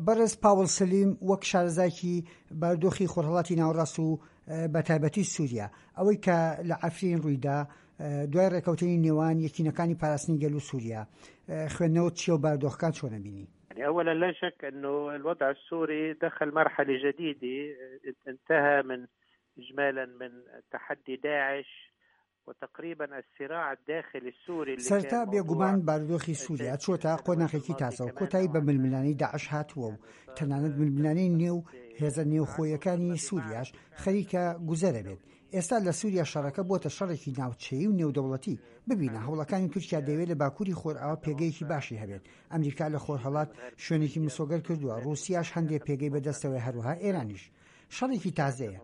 بەڕێز پاوڵ سەلیم وەک شارەزایەکی بارودۆخی خۆرهەڵاتی ناوەڕاست و بە تایبەتی سووریا، ئەوەی کە لە عەفرین ڕوویدا دوای ڕێکەوتنی نێوان یەکینەکانی پاراستنی گەل و سووریا، خوێندنەوەت چییە و بارودۆخەکان چۆن ئەبینی؟ يعني أولا لا شك أنه الوضع السوري دخل مرحلة جديدة انتهى من إجمالا من تحدي داعش وتقريبا الصراع الداخلي السوري اللي سەرەتا كان موضوع بێگومان بارودۆخی سووریا أساسي في چووەتە السنوات قۆناخێکی الماضية تازە و كمان کۆتایی بە نوعا ما ململانێی داعش هاتووە و يعني تەنانەت صار ململانێی نێو في هێزە عهد نێوخۆیەکانی الماضي مع سووریاش فعلا خەریکە گوزەرە بێت. الدوليين ئێستا لە سووریا شەڕەکە بۆتە شەڕێکی ناوچەیی و نێودەوڵەتی. ببینە هەوڵەکانی تورکیا دەیەوێت لە باکووری خۆرئاوا پێگەیەکی باشی هەبێت. ئەمریکا لە خۆرهەڵات شوێنێکی مسۆگەر کردووە، ڕووسیاش هەندێ پێگەی بەدەستەوەیە هەروەها ئێرانیش. شەڕێکی تازەیە.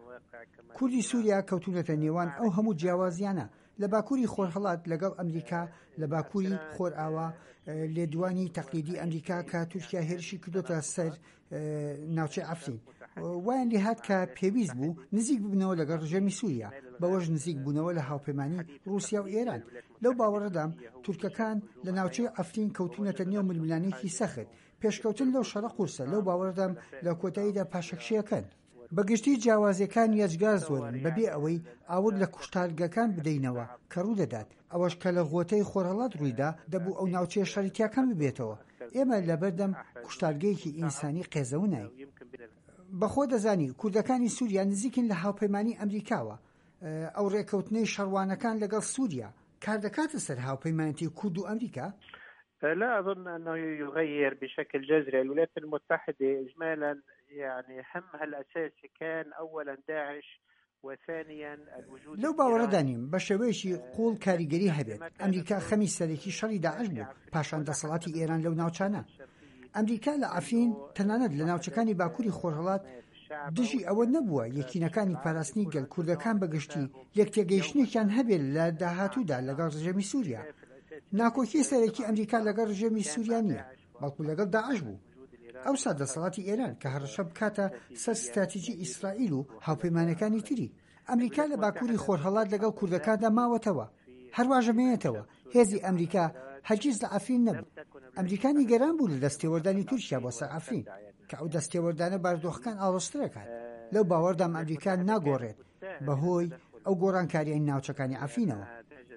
کوردی سووریا کەوتوونەتە نێوان ئەو هەموو جیاوازییانە، لە باکووری خۆرهەڵات لەگەڵ ئەمریکا، لە باکووری خۆرئاوا لێدوانی تەقلیدی ئەمریکا کە تورکیا هێرشی کردۆتە سەر ناوچەی عەفرین وایان لێهات کە پێویست بوو نزیک ببنەوە لەگەڵ ڕژێمی سووریا، بەوەش نزیک بوونەوە لە هاوپەیمانی ڕووسیا و ئێران. لەو باوەڕەدام تورکەکان لە ناوچەی عەفرین کەوتوونەتە نێو ململانێیەکی سەخت، پێشکەوتن لەو شەڕە قورسە، لەو باوەڕەدام لە کۆتاییدا پاشەکشەیەکەن. بە گشتی جیاوازیەکان یەجگار زۆرن بەبێ ئەوەی ئاور لە کوشتارگەکان بدەینەوە کە ڕوودەدات، ئەوەش کە لە غۆتەی خۆرهەڵات ڕوویدا دەبوو ئەو ناوچەیە شەڕی تیا کەم ببێتەوە، ئێمە لەبەردەم کوشتارگەیەکی ئینسانی قێزەوناین. بەخۆ دەزانی کوردەکانی سوریا نزیکن لە هاوپەیمانی ئەمریکاوە، ئەو ڕێکەوتنەی شەڕوانەکان لەگەڵ سوریا کاردەکاتە سەر هاوپەیمانێتی کورد و ئەمریکا؟ لا أظن أنه يغير بشكل جذري الولايات المتحدة إجمالا يعني همها الأساسي كان أولا داعش وثانيا الوجود لەو باوەڕەدا نیم بە شێوەیەکی قووڵ کاریگەری هەبێت. ئەمریکا خەمی سەرەکی شەڕی داعش بوو، پاشان دەسەڵاتی ئێران لەو ناوچانە. ئەمریکا لە عەفرین، تەنانەت لە ناوچەکانی باکووری خۆرهەڵات دژی ئەوە نەبووە یەکینەکانی پاراستنی گەل، کوردەکان بە گشتی، لێکتێگەیشتنێکیان هەبێت لە داهاتوودا لەگەڵ ڕژێمی سووریا. ناکۆکی سەرەکی ئەمریکا لەگەڵ ڕژێمی سووریا نییە، بەڵکو لەگەڵ داعش بوو. ئەوسا دەسەڵاتی ئێران کە هەڕەشە بکاتە سەر ستراتیجی ئیسرائیل و هاوپەیمانەکانی تری. ئەمریکا لە باکووری خۆرهەڵات لەگەڵ کوردەکاندا ماوەتەوە. هەرواش ئەمێنێتەوە. هێزی ئەمریکا هەرگیز لە عەفرین نەبوو. ئەمریکا نیگەران بوو لە دەستێوەردانی تورکیا بۆ سەر عەفرین، کە ئەو دەستێوەردانە بارودۆخەکان ئاڵۆزتر ئەکات. لەو باوەڕدام ئەمریکا ناگۆڕێت بەهۆی ئەو گۆڕانکارییەی ناوچەکانی عەفرینەوە.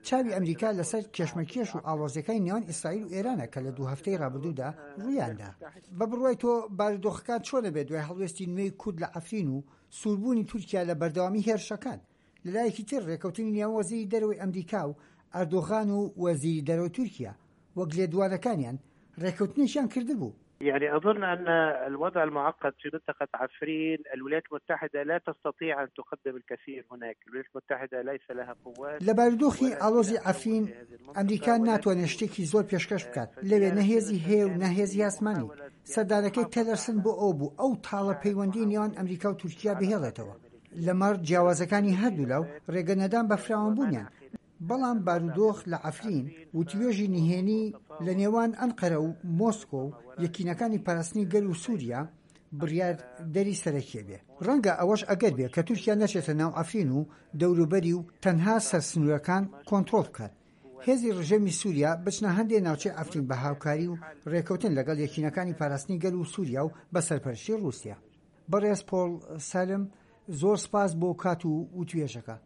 چاوی ئەمریکا لەسەر کێشمەکێش و ئاڵۆزییەکانی نێوان ئیسرائیل و ئێرانە کە لە دوو هەفتەی ڕابردوودا ڕوویاندا. بە بڕوای تۆ بارودۆخەکان چۆن ئەبێت دوای هەڵوێستی نوێی کورد لە عەفرین و سووربوونی تورکیا لە بەردەوامی هێرشەکان؟ لەلایەکی تر ڕێکەوتنی نێوان وەزیری دەرەوەی ئەمریکا و ئەردۆغان و وەزیری دەرەوەی تورکیا وەک لێدوانەکانیان ڕێکەوتنێکیان کردبوو. يعني أظن أن الوضع المعقد في منطقة عفرين الولايات المتحدة لا تستطيع أن تقدم الكثير هناك الولايات المتحدة ليس لها قوات لە بارودۆخی ئاڵۆزی عەفرین ئەمریکا ناتوانێت شتێکی زۆر پێشکەش بکات، لەوێ نە هێزی هەیە و نە هێزی ئاسمانی. سەردانەکەی تێلەرسن بۆ ئەوە بوو ئەو تاڵە پەیوەندیی نێوان ئەمریکا و تورکیا بهێڵێتەوە لەمەڕ جیاوازەکانی هەردوولا و رێگە نەدان بە فراوانبوونیان، بەڵام بارودۆخ لە عەفرین، وتوێژی نهێنی لە نێوان ئەنقەرە و مۆسکۆ و یەکینەکانی پاراستنی گەل و سوریا بڕیار دەری سەرەکیە بێ. ڕەنگە ئەوەش ئەگەر بێ کە تورکیا نەچێتە ناو عەفرین و دەوروبەری و تەنها سەر سنورەکان کۆنتڕۆڵ بکات. هێزی ڕژێمی سوریا بچنە هەندێ ناوچەی عەفرین بە هاوکاری و ڕێکەوتن لەگەڵ یەکینەکانی پاراستنی گەل و سوریا و بە سەرپەرشتی ڕوسیا. بەڕێز پۆڵ سالم زۆر سپاس بۆ کات و وتوێژەکە.